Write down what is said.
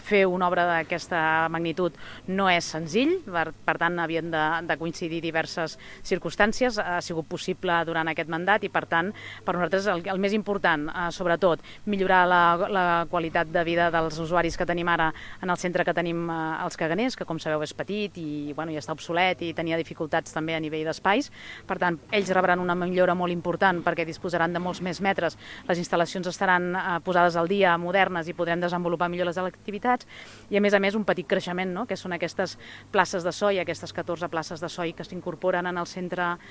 Fer una obra d'aquesta magnitud no és senzill, per tant havien de coincidir diverses circumstàncies, ha sigut possible durant aquest mandat i per tant per nosaltres el més important, sobretot, millorar la qualitat de vida dels usuaris que tenim ara en el centre que tenim als Caganers, que com sabeu és petit i ja està obsolet i tenia dificultats també a nivell d'espais, per tant ells rebran una millora molt important perquè disposaran de molts més metres, les instal·lacions estaran posades al dia, modernes i podrem desenvolupar millor les activitats i a més un petit creixement, que són aquestes places de soi, aquestes 14 places de soi que s'incorporen en el centre